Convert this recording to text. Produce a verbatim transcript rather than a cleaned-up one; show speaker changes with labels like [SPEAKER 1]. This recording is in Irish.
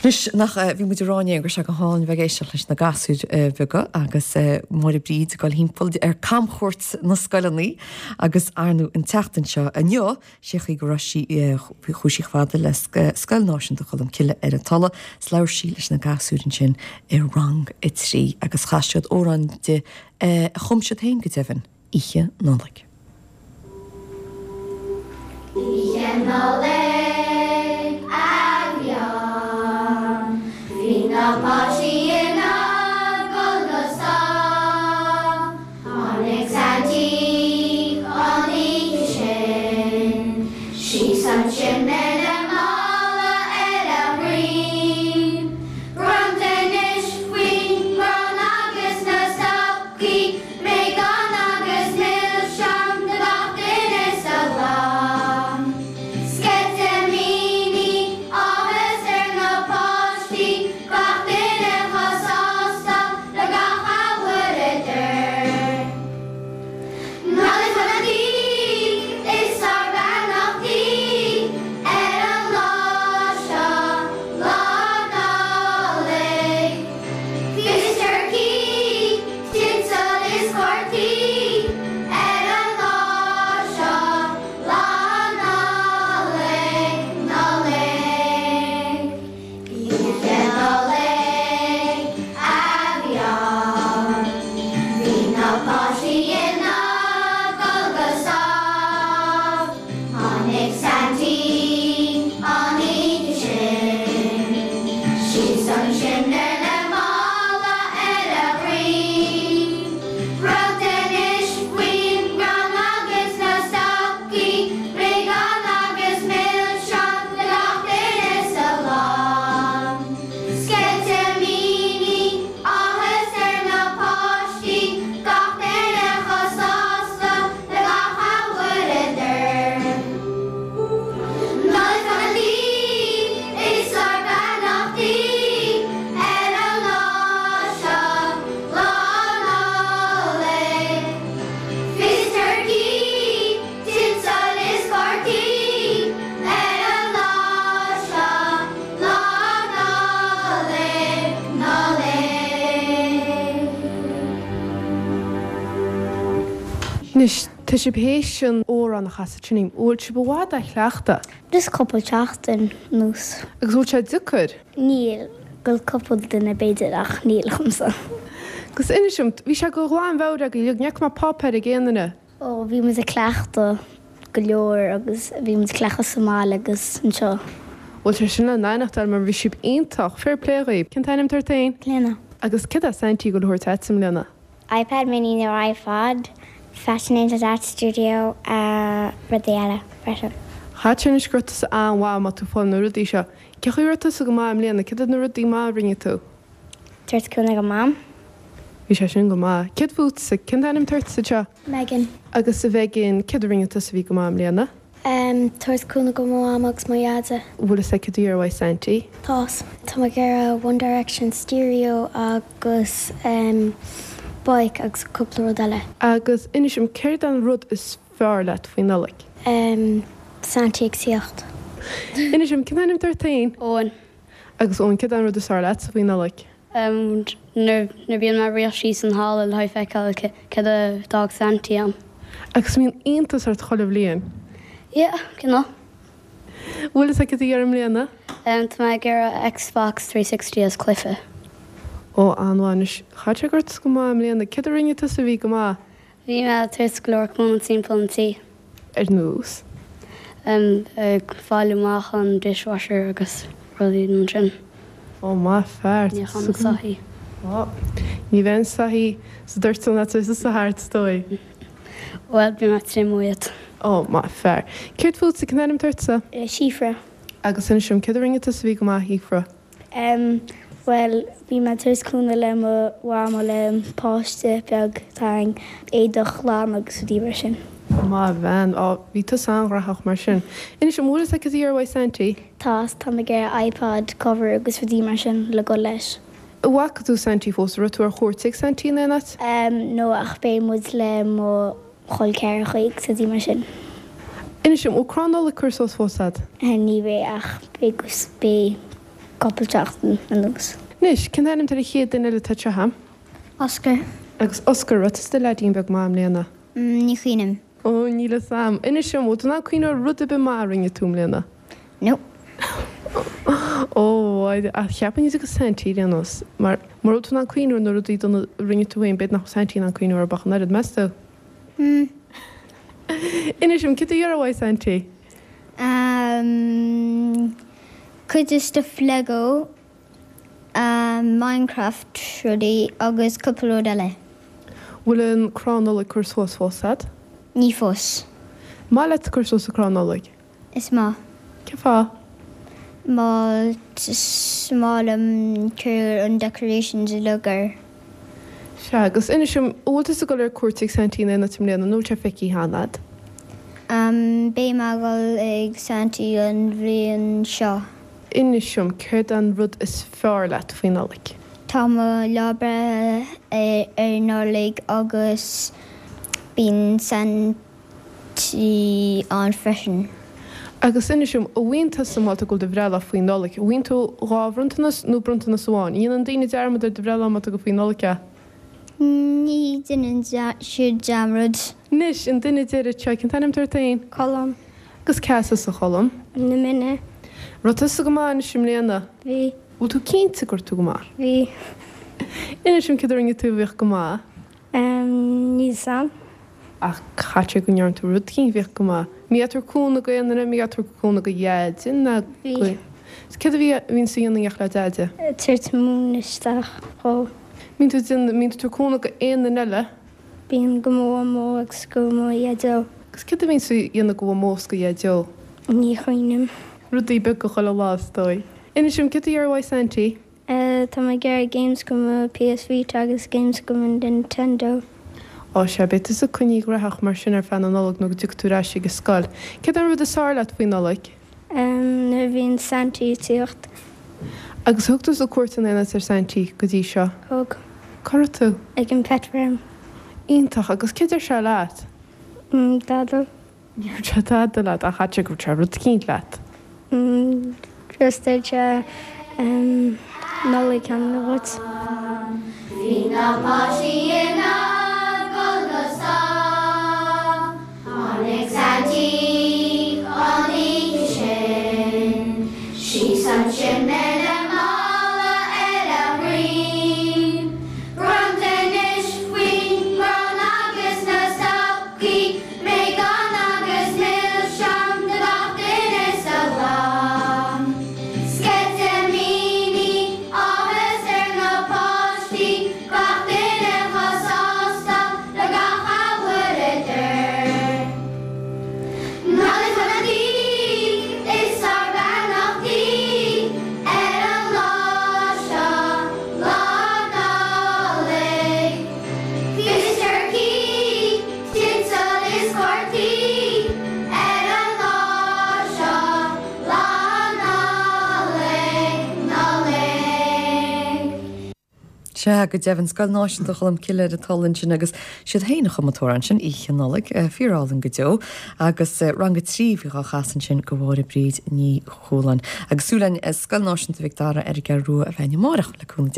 [SPEAKER 1] Anois nach bhí muid ag rá inné go raibh sé go hálainn bheith ag éisteacht leis na gasúir bheaga agus Máire Bríd ag dul thimpeall ar camchuairt na scoileanna agus ar ndóigh an tseachtain seo inniu sé chaoi go raibh sí chuaigh sí chomh fada le Scoil Náisiúnta Cholmcille ar an Tulaigh is labhair sí leis na gasúir ansin i rang a trí agus chas siad amhrán di a chum siad féin go deimhin, Oíche Nollag.
[SPEAKER 2] Oíche Nollag a bhí ann, Bhí na páistí ina gcodladh go sámh. Tháinig Saintí an oíche sin, síos an simné le mála ar a dhroim. Bronntanais faoin gcrann agus na stocaí, Bréagáin agus milseáin do gach duine sa gclann. Sceitimíní áthas ar na páistí, gach duine chomh sásta le gach a bhfuaireadar. Nollaig shona daoibh is ár mbeannachtaí ar an lá seo, Lá Nollag. Fís turcaí, tinsel is cártaí ar an lá seo, Lá Nollag, Nollaig. Oíche Nollag a bhí ann, Bhí na páistí ina gcodladh go sámh. Tháinig Saintí an oíche sin, síos an simné le mála ar a dhroim. Bronntanais faoin gcrann agus na stocaí, Bréagáin agus milseáin do gach duine sa chlann. Sceitimíní áthas ar na páistí, gach duine chomh sásta le gach a bhfuaireadar. Nollaig shona daoibh is ár mbeannachtaí ar an lá seo, Lá Nollag. Fís turcaí, tinsel is cártaí ar an lá seo, Lá Nollag, Nollaig.
[SPEAKER 3] Anois, tá sibh théis an amhrán a chasadh sin, bhfuil sibh i bhfad á chleachtadh?
[SPEAKER 4] Just cúpla seachtain anuas.
[SPEAKER 3] Agus bhfuil sé deacair?
[SPEAKER 4] Níl go cúpla duine b'fhéidir ach níl dhomsa.
[SPEAKER 3] Agus inis dom, bhí sé go ghlanmheabhair agaibh, ní fhaca mé páipéar ag aon duine.
[SPEAKER 4] Ó bhí muid ag cleachtadh go leor agus bhí muid ag cleachtadh sa mbaile agus anseo.
[SPEAKER 3] Bhfuil sé sin le nainachtáil mar bhí sibh iontach, fair play dhaoibh. Cén t-ainm atá ort féin?
[SPEAKER 4] Lena.
[SPEAKER 3] Agus céard é Saintí go thabhairt duit i mbliana?
[SPEAKER 4] iPad mini nó iPod, Fashion Angels Art Studio uh, rudaí eile freisin.
[SPEAKER 3] Chaith sin is go tusa an-mhaith má tú fáil na rudaí seo. Cé chaoi raibh tusa go maith i mbliana, céard na rudaí maith a rinne tú?
[SPEAKER 4] Tabhairt cúnamh do Mam.
[SPEAKER 3] Bhí sé sin go maith. Céard fútsa, cén t-ainm atá ort seo?
[SPEAKER 4] Megan.
[SPEAKER 3] Agus a Mhegan, céard a rinne tusa a bhí go maith i mbliana?
[SPEAKER 4] Um, Tabhairt cúnamh do Mam agus mo Dhaid.
[SPEAKER 3] Bhfuil a fhios agat cad a iarrfaidh Saintí?
[SPEAKER 4] Tá. Tá mé ag iarraidh One Direction stereo agus um, bike agus cúpla rud eile.
[SPEAKER 3] Agus inis dom céard an rud is fearr leat faoi Nollaig?
[SPEAKER 4] Um, Saintí ag tíocht.
[SPEAKER 3] Inis dom cén t-ainm atá ort féin?
[SPEAKER 5] Eoin.
[SPEAKER 3] Agus Eoin céard an rud is fearr leat faoi Nollaig?
[SPEAKER 5] Um, nuair bíonn mé rith síos an halla le feiceáil céard a d'fhág Saintí ann.
[SPEAKER 3] Agus mbíonn iontas ort chuile bhliain?
[SPEAKER 5] Yeah, cineál.
[SPEAKER 3] Bhfuil a fhios agat cad a iarrfaidh i mbliana?
[SPEAKER 5] Um, Tá mé ag iarraidh Xbox three sixty as cluiche.
[SPEAKER 3] Ó an-mhaith chaith sé ort go maith i mbliana, céard a rinne tusa a bhí go maith?
[SPEAKER 5] Bhí mé ag tabhairt go leor cúnamh timpeall an tí.
[SPEAKER 3] Ar nós?
[SPEAKER 5] Um, ag fáil amach an dishwasher agus rudaí mar sin.
[SPEAKER 3] Ó maith fear.
[SPEAKER 5] Níochán na soithí.
[SPEAKER 3] Ó, ní bheidh na soithí sa dóiteán leat sa thart dóigh.
[SPEAKER 5] Well, bhí mé triomú iad.
[SPEAKER 3] Ó maith fear. Céard fútsa cén t-ainm atá ortsa?
[SPEAKER 4] Síofra.
[SPEAKER 3] Agus inis dom céard a rinne tusa a bhí go maith Shíofra?
[SPEAKER 4] Um, well, bhí mé ag tabhairt cúnamh le mo mham le páiste beag tang éadach lán agus rudaí mar sin.
[SPEAKER 3] Maith bhean, á bhí tusa an-ghnóthach mar sin. Inis dom bhfuil a fhios agat cad a iarrfaidh Saintí?
[SPEAKER 4] Tá tá mé ag iarraidh iPod cover agus rudaí mar sin le go leis.
[SPEAKER 3] Bhfaca tú Saintí fós raibh tú ar cuairt ag Saintí in aon áit?
[SPEAKER 4] Um, nó ach beidh muid le mo chol ceathracha agus rudaí mar sin.
[SPEAKER 3] Inis dom bhfuil crann Nollag curtha suas fós agat?
[SPEAKER 4] Ní bheidh ach beidh beidh cúpla seachtain anuas.
[SPEAKER 3] Anois, cén t-ainm atá ar an chéad duine eile atá anseo?
[SPEAKER 4] Oscar.
[SPEAKER 3] Agus Oscar, raibh tusa i do leaidín beag maith i mbliana?
[SPEAKER 4] Ní chuimhním.
[SPEAKER 3] Ó, níl a fhios a'm. Inis dom, bhfuil tú in ann cuimhneamh ar rud ar bith maith a rinne tú i mbliana?
[SPEAKER 4] Nope.
[SPEAKER 3] Ó, ach cheapfainn go dtiocfadh Saintí ar aon nós, mar mura bhfuil tú in ann cuimhneamh ar na rudaí dona a rinne tú féin, b'fhéidir nach bhfuil Saintí in ann cuimhneamh orthu ach an oiread, meas tú?
[SPEAKER 4] Hmm.
[SPEAKER 3] Inis dom, céard a iarrfá uaidh Saintí?
[SPEAKER 4] Um, cuid de stuff Lego, um, Minecraft rudaí agus cúpla rud eile.
[SPEAKER 3] Bhfuil an crann Nollag curtha suas fós a'd?
[SPEAKER 4] Ní fós.
[SPEAKER 3] Maith leat cur suas an crann Nollag?
[SPEAKER 4] Is maith.
[SPEAKER 3] Cén fáth?
[SPEAKER 4] Mar is maith liom cur an decorations uilig air.
[SPEAKER 3] Sea, agus inis dom, an bhfuil tusa ag dul ar cuairt ag Saintí in aon áit i mbliana nó bhfuil sé feicthe cheana a'd?
[SPEAKER 4] Um, beidh mé ag dul ag Saintí an bhliain seo.
[SPEAKER 3] Inis dom, céard an rud is fearr leat faoi Nollaig?
[SPEAKER 4] Tá mo lá breithe ar Nollaig agus bíonn Saintí ann freisin.
[SPEAKER 3] Agus inis dom, an bhfaigheann tusa má tá tú ag dul do bhreithlá faoi Nollaig, an bhfaigheann tú dhá bhronntanas nó bronntanas amháin? An ndéanann daoine dearmad ar do bhreithlá má tá tú ag dul faoi Nollaig é?
[SPEAKER 4] Ní dhéanann siad dearmad.
[SPEAKER 3] Anois, an duine deiridh seo, cén t-ainm atá ort féin?
[SPEAKER 4] Colm.
[SPEAKER 3] Agus cá as tusa, a Choilm?
[SPEAKER 4] Na Mine.
[SPEAKER 3] Raibh tusa go maith anois i mbliana?
[SPEAKER 4] Bhí.
[SPEAKER 3] Bhfuil tú cinnte go raibh tú go maith?
[SPEAKER 4] Bhí.
[SPEAKER 3] Inis dom céard a rinne tú a bhíodh go maith?
[SPEAKER 4] Níl 'fhios a'm.
[SPEAKER 3] Ach caithfidh sé go ndearna tú rud eicínt a bhíodh go maith. An mbíonn tú ag tabhairt cúnamh go aon duine, an mbíonn tú ag tabhairt cúnamh go Dheaide ná
[SPEAKER 4] Bhí.
[SPEAKER 3] go. Is céard a bhí a bhíonn tú a dhéanamh in éineacht le Deaide?
[SPEAKER 4] Tabhairt móin isteach dhó.
[SPEAKER 3] Mbíonn tú ag déanamh, mbíonn tú ag tabhairt cúnamh go aon duine eile?
[SPEAKER 4] Bíonn go mo mhamó agus go mo Dhaideo.
[SPEAKER 3] Agus céard a bhíonn tú a dhéanamh go mhamó is go Dhaideo?
[SPEAKER 4] Ní chuimhním.
[SPEAKER 3] Rudaí beaga chuile lá is dóigh. Inis dom, céard a iarrfá uaidh Saintí?
[SPEAKER 4] Tá mé ag iarraidh games go mo PS Vita agus games go mo Nintendo.
[SPEAKER 3] Ó sea, beidh tusa coinnithe gnóthach mar sin ar feadh na Nollag nó go dtiocfaidh tú ar ais ag an scoil. Céard é an rud is fearr leat faoi Nollaig?
[SPEAKER 4] Nuair a bhíonn Saintí ag tíocht.
[SPEAKER 3] Agus thug tusa cuairt in aon áit ar Saintí go dtí seo?
[SPEAKER 4] Thug.
[SPEAKER 3] Cá raibh tú?
[SPEAKER 4] Ag an Pet Farm.
[SPEAKER 3] Iontach, agus céard a deir sé leat?
[SPEAKER 4] Dada.
[SPEAKER 3] Ní dúirt sé tada leat ach caithfidh sé go ndúirt sé rud eicínt leat.
[SPEAKER 4] Just dúirt sé Nollaig shona dhuit.
[SPEAKER 2] Bhí na páistí ina gcodladh go sámh. Tháinig Saintí an oíche sin síos an simné le mála ar a dhroim. Bronntanais faoin gcrann agus na stocaí, bréagáin agus milseáin do gach duine sa gclann. Sceitimíní áthas ar na páistí, gach duine chomh sásta le gach a bhfuaireadar. Nollaig shona daoibh is ár mbeannachtaí ar an lá seo, Lá Nollag. Fios turcaí, tinsel is cártaí ar an lá seo, Lá Nollag, Nollaig.
[SPEAKER 1] Sea, go deimhin, Scoil Náisiúnta Cholm Cille ar an talamh ansin agus siad féin a chum an t-amhrán sin, Oíche Nollag, fíorálainn go deo, agus rang a trí a bhí á chasadh ansin go Mháire Bríd Ní Chualáin. Agus súil againn Scoil Náisiúnta Mhic Dara ar an gCeathrú Rua a bheith amárach le cúnamh Dé.